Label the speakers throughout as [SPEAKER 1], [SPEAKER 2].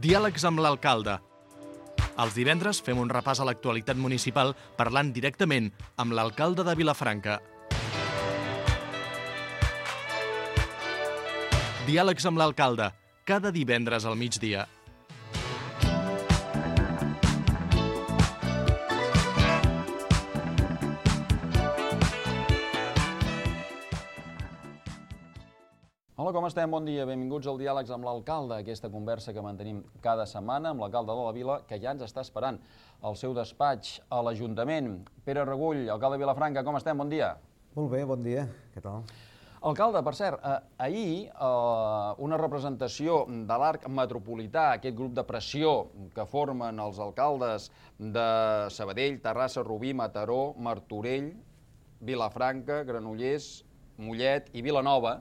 [SPEAKER 1] Diàlegs amb l'alcalde. Els divendres fem un repàs a l'actualitat municipal parlant directament amb l'alcalde de Vilafranca. Diàlegs amb l'alcalde, cada divendres al migdia.
[SPEAKER 2] Hola, com estem? Bon dia. Benvinguts al Diàlegs amb l'alcalde, aquesta conversa que mantenim cada setmana amb l'alcalde de la Vila, que ja ens està esperant al seu despatx a l'Ajuntament. Pere Regull, alcalde de Vilafranca, com estem? Bon dia.
[SPEAKER 3] Molt bé, bon dia. Què tal?
[SPEAKER 2] Alcalde, per cert, ahir una representació de l'Arc Metropolità, aquest grup de pressió que formen els alcaldes de Sabadell, Terrassa, Rubí, Mataró, Martorell, Vilafranca, Granollers, Mollet i Vilanova,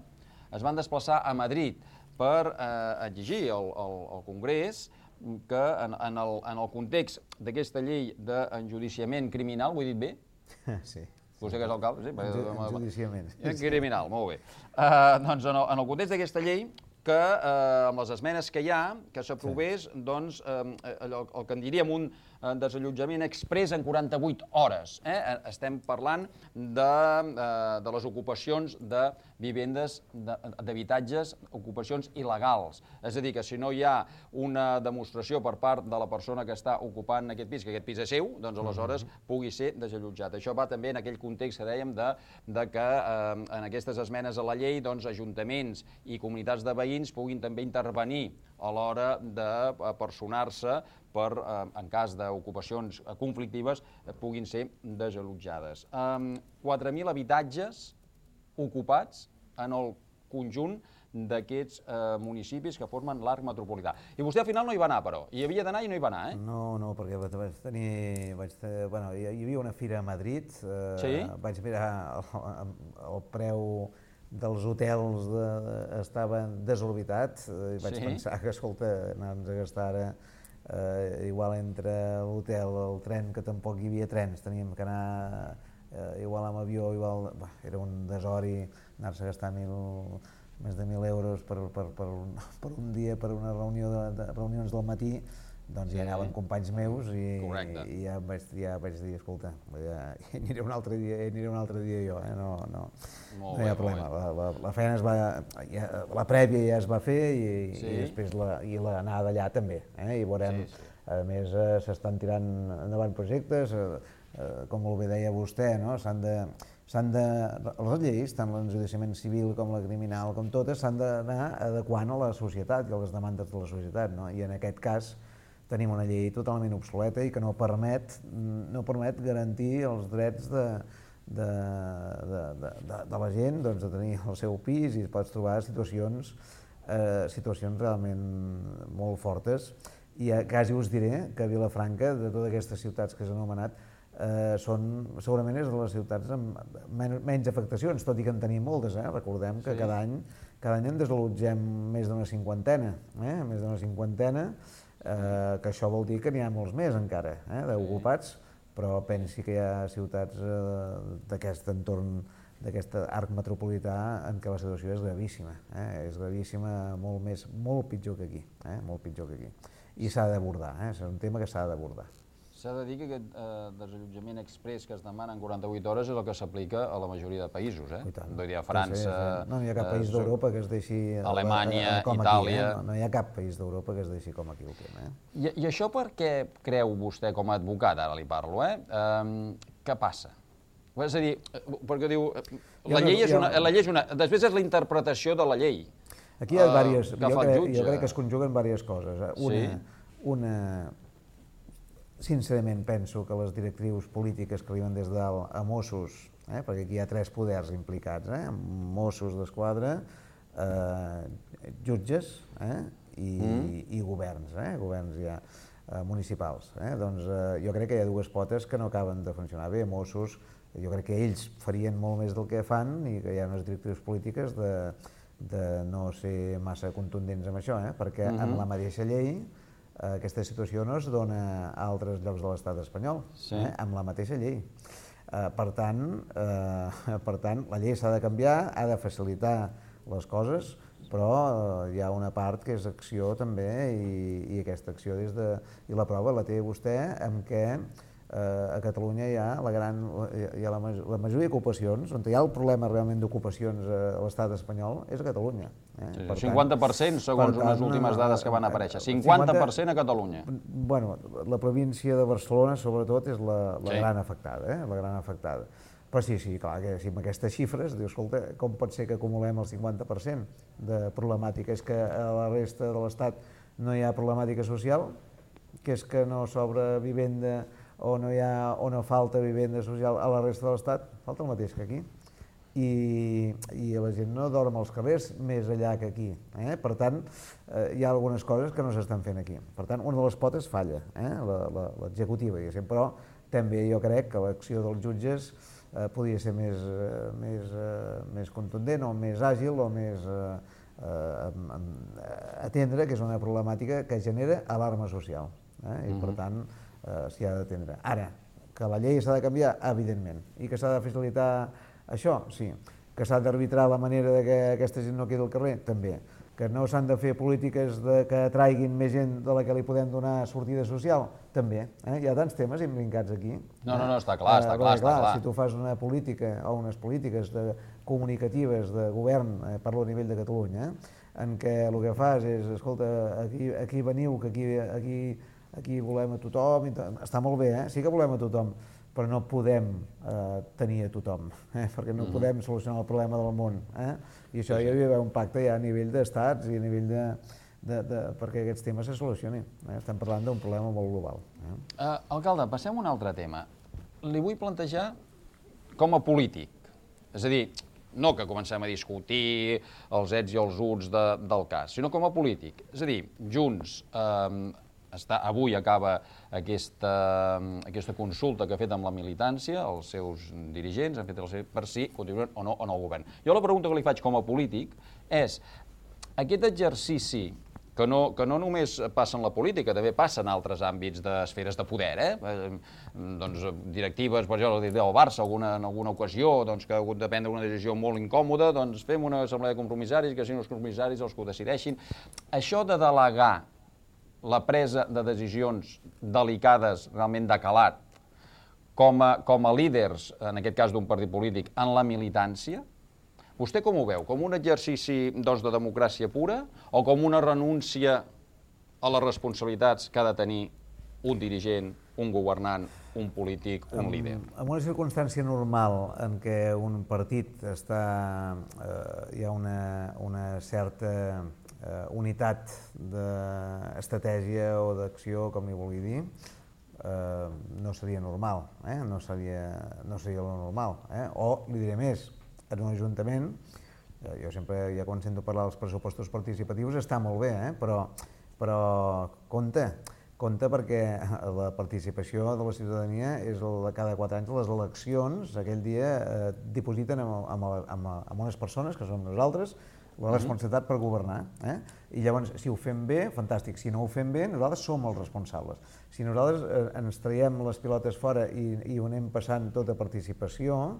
[SPEAKER 2] es van desplaçar a Madrid per exigir al Congrés que en el context d'aquesta llei d'enjudiciament criminal, ho he dit bé?
[SPEAKER 3] Sí.
[SPEAKER 2] Vostè que és alcalde? Sí.
[SPEAKER 3] Enjudiciament.
[SPEAKER 2] Criminal, molt bé. Doncs en el context d'aquesta llei, que amb les esmenes que hi ha, que s'aprovés, doncs, el que en diríem un desallotjament exprés en 48 hores. Estem parlant de les ocupacions de vivendes, d'habitatges, ocupacions il·legals. És a dir, que si no hi ha una demostració per part de la persona que està ocupant aquest pis, que aquest pis és seu, doncs aleshores pugui ser desallotjat. Això va també en aquell context que dèiem de que en aquestes esmenes a la llei, doncs, ajuntaments i comunitats de veïns puguin també intervenir a l'hora de personar-se per, en cas d'ocupacions conflictives, puguin ser desallotjades. 4.000 habitatges ocupats en el conjunt d'aquests municipis que formen l'Arc Metropolità. I vostè al final no hi va anar, però. Hi havia d'anar i no hi va anar, eh?
[SPEAKER 3] No, perquè hi havia una fira a Madrid, vaig mirar el preu dels hotels estaven desorbitats i vaig pensar que, escolta, anar-nos a gastar ara igual entre l'hotel, el tren, que tampoc hi havia trens, teníem que anar igual amb avió, era un desori anar-se a gastar més de 1.000 euros per un dia, per una reunions del matí. Doncs hi anaven companys meus i ja vaig dir, escolta, hi aniré un altre dia jo, no hi ha problema. La feina la prèvia ja es va fer i després l'anada allà també, i veurem, a més s'estan tirant endavant projectes, com molt bé deia vostè, les lleis, tant l'enjudiciament civil com la criminal, com totes, s'han d'anar adequant a la societat i a les demandes de la societat, i en aquest cas tenim una llei totalment obsoleta i que no permet garantir els drets de la gent, de tenir el seu pis, i pots trobar situacions realment molt fortes. I quasi us diré que Vilafranca, de totes aquestes ciutats que s'han anomenat, segurament és de les ciutats amb menys afectacions, tot i que en tenim moltes. Recordem que cada any en desallotgem més d'una cinquantena, que això vol dir que n'hi ha molts més encara d'ocupats, però pensi que hi ha ciutats d'aquest entorn, d'aquest arc metropolità, en què la situació és gravíssima, molt pitjor que aquí, i s'ha d'abordar, és un tema que s'ha d'abordar.
[SPEAKER 2] S'ha de dir que aquest desallotjament exprés que es demana en 48 hores és el que s'aplica a la majoria de països, Vull dir, a França...
[SPEAKER 3] No hi ha cap país d'Europa que es deixi...
[SPEAKER 2] Alemanya, Itàlia...
[SPEAKER 3] No hi ha cap país d'Europa que es deixi com aquí el tema,
[SPEAKER 2] I això per què creu vostè, com a advocat, ara li parlo, què passa? És a dir, perquè diu, la llei és una... Després és la interpretació de la llei.
[SPEAKER 3] Aquí hi ha diverses... Jo crec que es conjuguen diverses coses. Una... Sincerament penso que les directrius polítiques que arriben des de dalt a Mossos, perquè aquí hi ha 3 poders implicats, Mossos d'Esquadra, jutges i governs ja municipals. Doncs jo crec que hi ha 2 potes que no acaben de funcionar bé. Mossos, jo crec que ells farien molt més del que fan i que hi ha unes directrius polítiques de no ser massa contundents amb això, perquè en la mateixa llei aquesta situació no es dona a altres llocs de l'estat espanyol, amb la mateixa llei. Per tant, la llei s'ha de canviar, ha de facilitar les coses, però hi ha una part que és acció també i aquesta acció i la prova la té vostè amb què a Catalunya hi ha la majoria d'ocupacions, on hi ha el problema realment d'ocupacions a l'estat espanyol és a Catalunya.
[SPEAKER 2] 50% segons unes últimes dades que van aparèixer, 50% a Catalunya.
[SPEAKER 3] Bueno, la província de Barcelona sobretot és la gran afectada, la gran afectada. Però sí, clar, que si amb aquestes xifres, dius, escolta, com pot ser que acumulem el 50% de problemàtica? És que a la resta de l'Estat no hi ha problemàtica social, que és que no s'obre vivenda o no falta vivenda social a la resta de l'Estat, falta el mateix que aquí. I la gent no dorm als carrers més allà que aquí. Per tant, hi ha algunes coses que no s'estan fent aquí. Per tant, una de les potes falla, l'executiva, diguéssim, però també jo crec que l'acció dels jutges podria ser més contundent o més àgil o més atendre, que és una problemàtica que genera alarma social. I per tant s'hi ha d'atendre. Ara, que la llei s'ha de canviar, evidentment, i que s'ha de facilitar això, sí. Que s'ha d'arbitrar la manera que aquesta gent no quedi al carrer, també. Que no s'han de fer polítiques que atraiguin més gent de la que li podem donar sortida social, també. Hi ha tants temes imbrincats aquí.
[SPEAKER 2] No, està clar, està clar.
[SPEAKER 3] Si tu fas una política o unes polítiques comunicatives de govern, parlo a nivell de Catalunya, en què el que fas és, escolta, aquí veniu, que aquí volem a tothom, està molt bé, sí que volem a tothom, però no podem tenir a tothom, perquè no podem solucionar el problema del món. I això hi havia un pacte ja a nivell d'estats i a nivell perquè aquests temes se solucionin. Estem parlant d'un problema molt global.
[SPEAKER 2] Alcalde, passem a un altre tema. Li vull plantejar com a polític, és a dir, no que comencem a discutir els ets i els uts del cas, sinó com a polític. És a dir, Junts avui acaba aquesta consulta que ha fet amb la militància, els seus dirigents han fet per si continuen o no en el govern. Jo la pregunta que li faig com a polític és aquest exercici que no només passa en la política, també passa en altres àmbits d'esferes de poder, doncs directives, per exemple, del Barça, en alguna ocasió, que ha hagut de prendre una decisió molt incòmoda, doncs fem una assemblea de compromissaris, que siguin els compromissaris els que ho decideixin. Això de delegar la presa de decisions delicades, realment de calat, com a líders, en aquest cas d'un partit polític, en la militància, vostè com ho veu? Com un exercici de democràcia pura o com una renúncia a les responsabilitats que ha de tenir un dirigent, un governant, un polític, un líder?
[SPEAKER 3] En una circumstància normal en què un partit hi ha una certa unitat d'estratègia o d'acció, com li vulgui dir, no seria normal, no seria lo normal. O, li diré més, en un ajuntament, jo sempre, ja quan sento parlar dels pressupostos participatius, està molt bé, però compte perquè la participació de la ciutadania és la de cada 4 anys, les eleccions, aquell dia dipositen amb unes persones, que som nosaltres, la responsabilitat per governar. I llavors, si ho fem bé, fantàstic. Si no ho fem bé, nosaltres som els responsables. Si nosaltres ens traiem les pilotes fora i ho anem passant tota participació,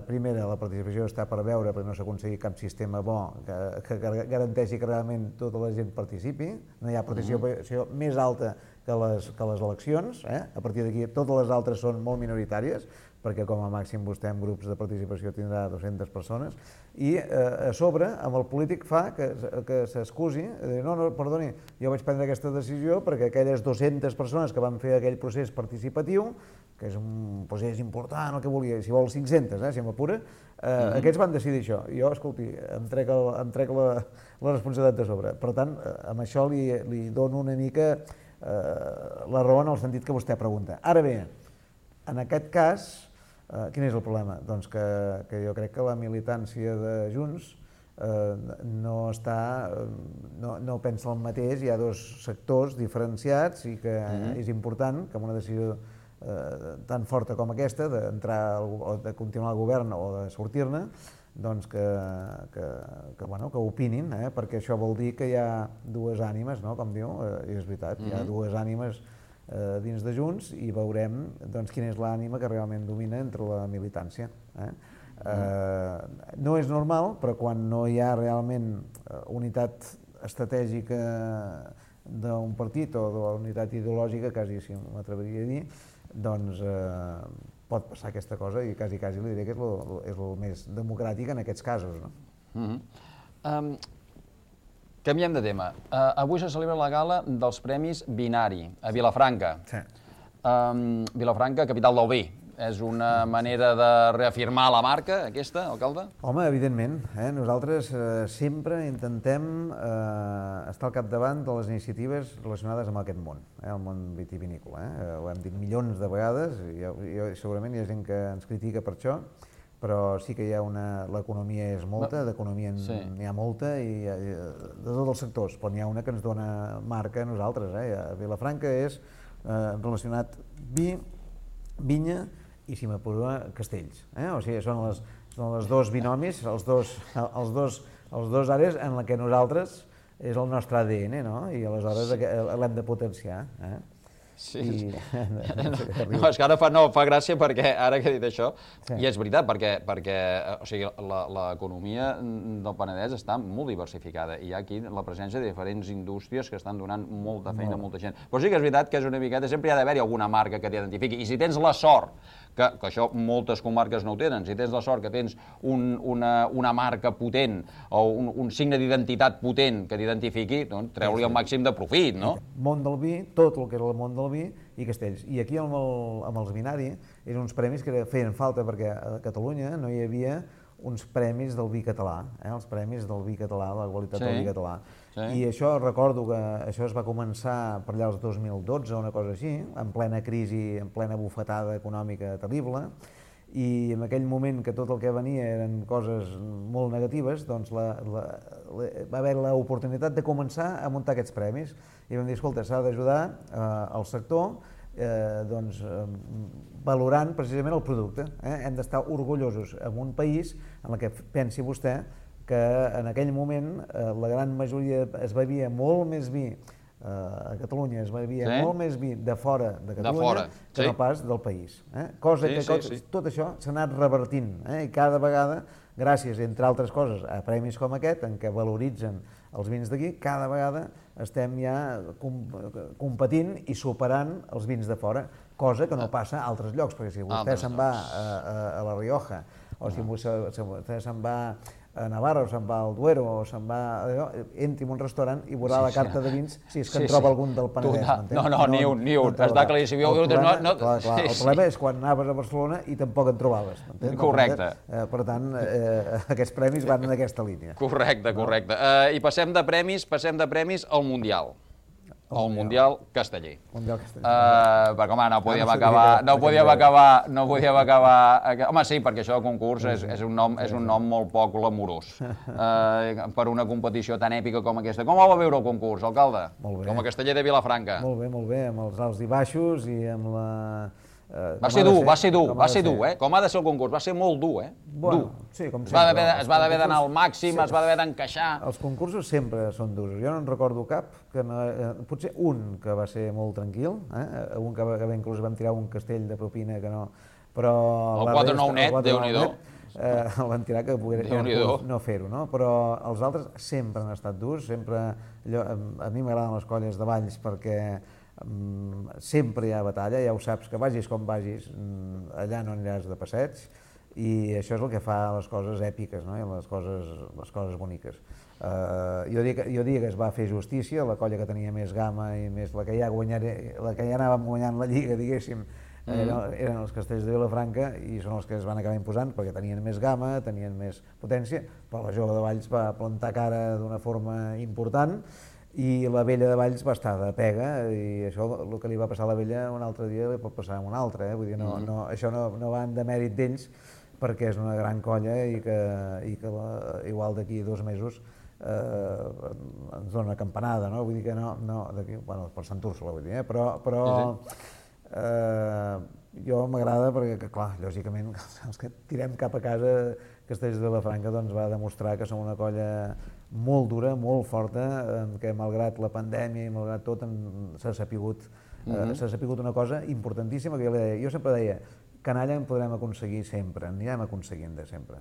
[SPEAKER 3] primera, la participació està per veure, perquè no s'ha aconseguit cap sistema bo que garanteixi que realment tota la gent participi. No hi ha participació més alta que les eleccions. A partir d'aquí, totes les altres són molt minoritàries, perquè com a màxim vostè en grups de participació tindrà 200 persones, i a sobre, amb el polític fa que s'excusi, no, perdoni, jo vaig prendre aquesta decisió perquè aquelles 200 persones que van fer aquell procés participatiu, que és un procés important, el que volia, si vol 500, si m'apura, aquests van decidir això. Jo, escolti, em trec la responsabilitat de sobre. Per tant, amb això li dono una mica la raó en el sentit que vostè pregunta. Ara bé, en aquest cas, quin és el problema? Doncs que jo crec que la militància de Junts no pensa el mateix, hi ha dos sectors diferenciats i que és important que amb una decisió tan forta com aquesta, d'entrar o de continuar al govern o de sortir-ne, doncs que opinin, perquè això vol dir que hi ha dues ànimes, com diu, i és veritat, hi ha dues ànimes dins de Junts i veurem quina és l'ànima que realment domina entre la militància. No és normal, però quan no hi ha realment unitat estratègica d'un partit o de la unitat ideològica, quasi si m'atreviria a dir, doncs pot passar aquesta cosa i quasi li diré que és el més democràtic en aquests casos.
[SPEAKER 2] Canviem de tema. Avui se celebra la gala dels Premis Binari a Vilafranca. Vilafranca, capital del vi. És una manera de reafirmar la marca, aquesta, alcalde?
[SPEAKER 3] Home, evidentment. Nosaltres sempre intentem estar al capdavant de les iniciatives relacionades amb aquest món, el món vitivinícola. Ho hem dit milions de vegades, i segurament hi ha gent que ens critica per això, però sí que hi ha l'economia és molta, d'economia n'hi ha molta, i de tots els sectors, però n'hi ha una que ens dona marca a nosaltres. A Vilafranca és relacionat vi, vinya, i si m'apuro, castells. O sigui, són els dos binomis, els dos àrees en què nosaltres és el nostre ADN, no? I aleshores l'hem de potenciar.
[SPEAKER 2] Sí. No, és que ara fa gràcia perquè ara que he dit això, i és veritat, perquè l'economia del Penedès està molt diversificada i hi ha aquí la presència de diferents indústries que estan donant molta feina a molta gent. Però sí que és veritat que és una miqueta, sempre hi ha d'haver-hi alguna marca que t'identifiqui, i si tens la sort, que això moltes comarques no ho tenen, si tens la sort que tens una marca potent o un signe d'identitat potent que t'identifiqui, doncs treu-li el màxim de profit, no?
[SPEAKER 3] Món del vi, tot el que era el món del vi i castells. I aquí amb els Binari eren uns premis que feien falta perquè a Catalunya no hi havia uns premis del vi català, els premis del vi català, la qualitat del vi català. I això, recordo que això es va començar per allà el 2012 o una cosa així, en plena crisi, en plena bufetada econòmica terrible, i en aquell moment que tot el que venia eren coses molt negatives, doncs va haver l'oportunitat de començar a muntar aquests premis. I vam dir, escolta, s'ha d'ajudar el sector valorant precisament el producte. Hem d'estar orgullosos en un país en què pensi vostè que en aquell moment la gran majoria es bevia molt més vi a Catalunya, es bevia molt més vi de fora de Catalunya que no pas del país. Cosa que tot això s'ha anat revertint i cada vegada, gràcies, entre altres coses, a premis com aquest, en què valoritzen els vins d'aquí, cada vegada estem ja competint i superant els vins de fora, cosa que no passa a altres llocs, perquè si vostè se'n va a La Rioja, o si vostè se'n va a Navarra, o se'n va al Duero, o se'n va... entri en un restaurant i veurà la carta de vins, si és que en troba algun del Penedès.
[SPEAKER 2] No, ni un. Està claríssim.
[SPEAKER 3] El problema és quan anaves a Barcelona i tampoc en trobaves.
[SPEAKER 2] Correcte.
[SPEAKER 3] Per tant, aquests premis van en aquesta línia.
[SPEAKER 2] Correcte. I passem de premis al Mundial. El Mundial Casteller. Perquè, home, no podíem acabar... Home, sí, perquè això de concurs és un nom molt poc glamurós per una competició tan èpica com aquesta. Com ho va veure el concurs, alcalde? Com a Casteller de Vilafranca.
[SPEAKER 3] Molt bé, amb els alts i baixos i amb la...
[SPEAKER 2] Va ser dur, com ha de ser el concurs, va ser molt dur,
[SPEAKER 3] Bueno, sí, com sempre.
[SPEAKER 2] Es va d'haver d'anar al màxim, es va d'haver d'encaixar.
[SPEAKER 3] Els concursos sempre són durs, jo no en recordo cap, potser un que va ser molt tranquil, un que inclús vam tirar un castell de propina que no... Però
[SPEAKER 2] el 4-9 net, Déu-n'hi-do.
[SPEAKER 3] El van tirar que pogués no fer-ho, no? Però els altres sempre han estat durs, sempre... A mi m'agraden les colles de balls perquè sempre hi ha batalla, ja ho saps, que vagis com vagis, allà no aniràs de passeig, i això és el que fa les coses èpiques, no? I les coses boniques. Jo diria que es va fer justícia, la colla que tenia més gamma i més la que ja anàvem guanyant la lliga, diguéssim, eren els Castells de Vilafranca i són els que es van acabar imposant perquè tenien més gamma, tenien més potència, però la jove de Valls va plantar cara d'una forma important i la vella de Valls va estar de pega i això, el que li va passar a la vella un altre dia li pot passar a un altre, vull dir, això no va en demèrit d'ells perquè és una gran colla i que igual d'aquí 2 mesos ens dona una campanada, no? Vull dir que per Sant Úrsula, vull dir, però jo m'agrada perquè, clar, lògicament, els que tirem cap a casa Castells de Vilafranca doncs va demostrar que som una colla molt dura, molt forta, que malgrat la pandèmia i malgrat tot s'ha sapigut una cosa importantíssima que jo sempre deia, canalla en podrem aconseguir sempre, anirem aconseguint de sempre.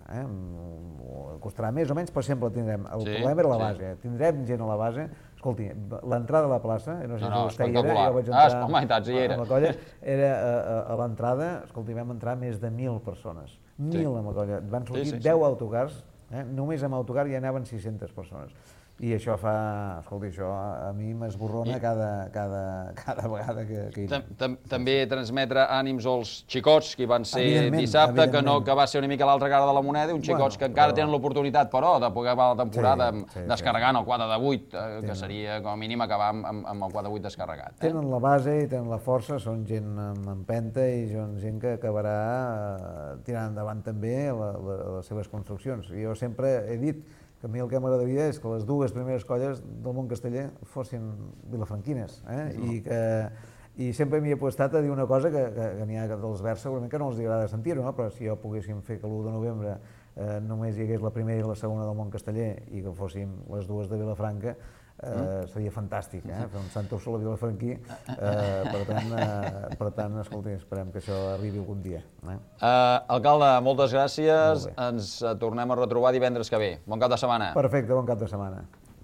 [SPEAKER 3] Costarà més o menys, però sempre tindrem. El problema era la base, tindrem gent a la base. Escolti, l'entrada a la plaça, no sé si vostè hi era, jo vaig entrar amb la colla, era a l'entrada, escolti, vam entrar més de 1.000 persones. 1.000 amb la colla. Van sortir 10 autocars, només amb autocar ja anaven 600 persones. I això escolti, això a mi m'esborrona cada vegada que hi anem.
[SPEAKER 2] També transmetre ànims als xicots que hi van ser dissabte, que va ser una mica l'altra cara de la moneda, uns xicots que encara tenen l'oportunitat, però, de poder acabar la temporada descarregant el 4 de 8, que seria com a mínim acabar amb el 4 de 8 descarregat.
[SPEAKER 3] Tenen la base i tenen la força, són gent amb empenta i són gent que acabarà tirant endavant també les seves construccions. Jo sempre he dit que a mi el que m'agradaria és que les dues primeres colles del món casteller fossin vilafranquines, i sempre m'hi he apostat a dir una cosa que n'hi ha dels verds segurament que no els agrada sentir-ho, però si jo poguéssim fer que l'1 de novembre només hi hagués la primera i la segona del món casteller i que fóssim les dues de Vilafranca, seria fantàstic, fer un Sant Úrsula vilafranquí. Per tant, escolti, esperem que això arribi algun dia.
[SPEAKER 2] Alcalde, moltes gràcies. Ens tornem a retrobar divendres que ve. Bon cap de setmana.
[SPEAKER 3] Perfecte, bon cap de setmana.